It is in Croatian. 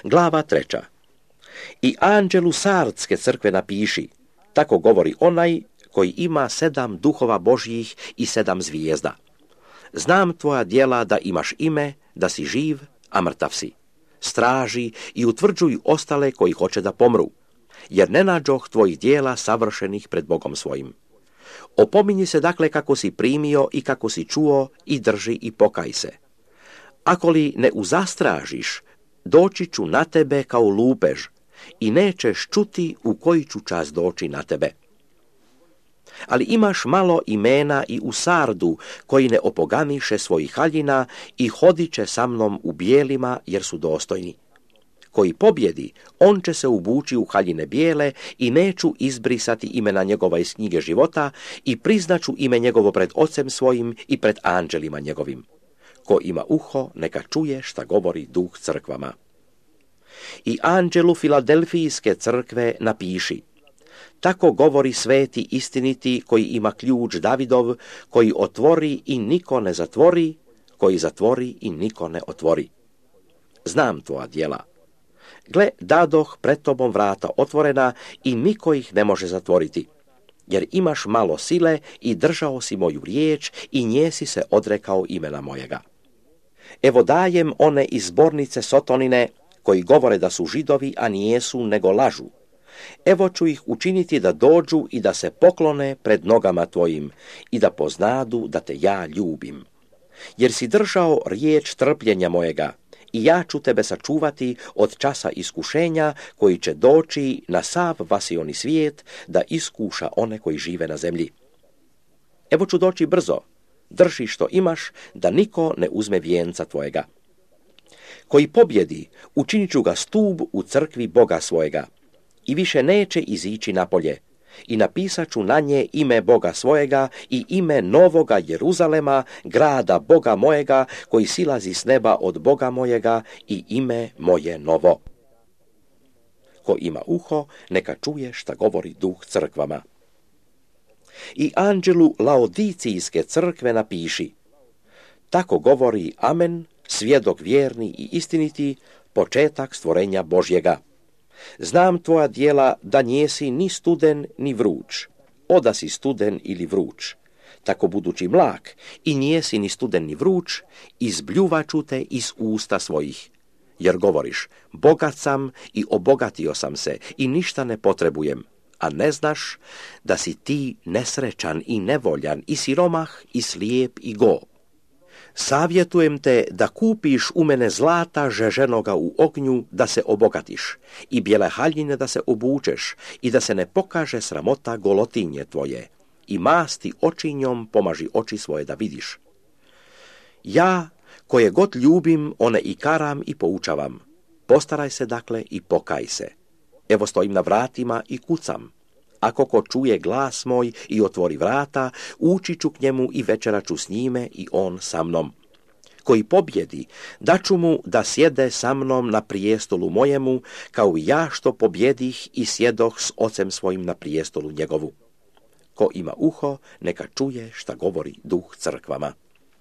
Glava 3. I anđelu Sardske crkve napiši, tako govori onaj koji ima 7 duhova Božjih i 7 zvijezda. Znam tvoja djela da imaš ime, da si živ, a mrtav si. Straži i utvrđuj ostale koji hoće da pomru, jer ne nađoh tvojih djela savršenih pred Bogom svojim. Opominji se dakle kako si primio i kako si čuo i drži i pokaj se. Ako li ne uzastražiš, doći ću na tebe kao lupež i nećeš čuti u koji ću čas doći na tebe. Ali imaš malo imena i u Sardu, koji ne opoganiše svojih haljina i hodit će sa mnom u bijelima, jer su dostojni. Koji pobjedi, on će se ubući u haljine bijele i neću izbrisati imena njegova iz knjige života i priznaću ime njegovo pred Ocem svojim i pred anđelima njegovim. Ko ima uho, neka čuje šta govori Duh crkvama. I anđelu Filadelfijske crkve napiši, tako govori sveti istiniti koji ima ključ Davidov, koji otvori i niko ne zatvori, koji zatvori i niko ne otvori. Znam tvoja djela. Gle, dadoh pred tobom vrata otvorena i niko ih ne može zatvoriti, jer imaš malo sile i držao si moju riječ i nje si se odrekao imena mojega. Evo dajem one iz zbornice Sotonine, koji govore da su Židovi, a nijesu, nego lažu. Evo ću ih učiniti da dođu i da se poklone pred nogama tvojim i da poznadu da te ja ljubim. Jer si držao riječ trpljenja mojega i ja ću tebe sačuvati od časa iskušenja koji će doći na sav vasioni svijet da iskuša one koji žive na zemlji. Evo ću doći brzo, drži što imaš, da niko ne uzme vijenca tvojega. Koji pobjedi, učinit ću ga stub u crkvi Boga svojega i više neće izići napolje i napisat ću na nje ime Boga svojega i ime novoga Jeruzalema, grada Boga mojega, koji silazi s neba od Boga mojega i ime moje novo. Ko ima uho, neka čuje šta govori Duh crkvama. I anđelu Laodicijske crkve napiši, tako govori Amen, svjedok vjerni i istiniti, početak stvorenja Božjega. Znam tvoja djela da njesi ni studen ni vruć, oda si studen ili vruć. Tako budući mlak i njesi ni studen ni vruć, izbljuvaću te iz usta svojih. Jer govoriš, bogat sam i obogatio sam se i ništa ne potrebujem, a ne znaš da si ti nesrećan i nevoljan i siromah i slijep i go. Savjetujem te da kupiš u mene zlata žeženoga u ognju da se obogatiš i bijele haljine da se obučeš i da se ne pokaže sramota golotinje tvoje i masti očinjom pomaži oči svoje da vidiš. Ja, koje god ljubim, one i karam i poučavam. Postaraj se dakle i pokaj se. Evo stojim na vratima i kucam. Ako ko čuje glas moj i otvori vrata, ući ću k njemu i večerat ću s njime i on sa mnom. Koji pobjedi, daću mu da sjede sa mnom na prijestolu mojemu, kao i ja što pobjedih i sjedoh s Ocem svojim na prijestolu njegovu. Ko ima uho, neka čuje šta govori Duh crkvama.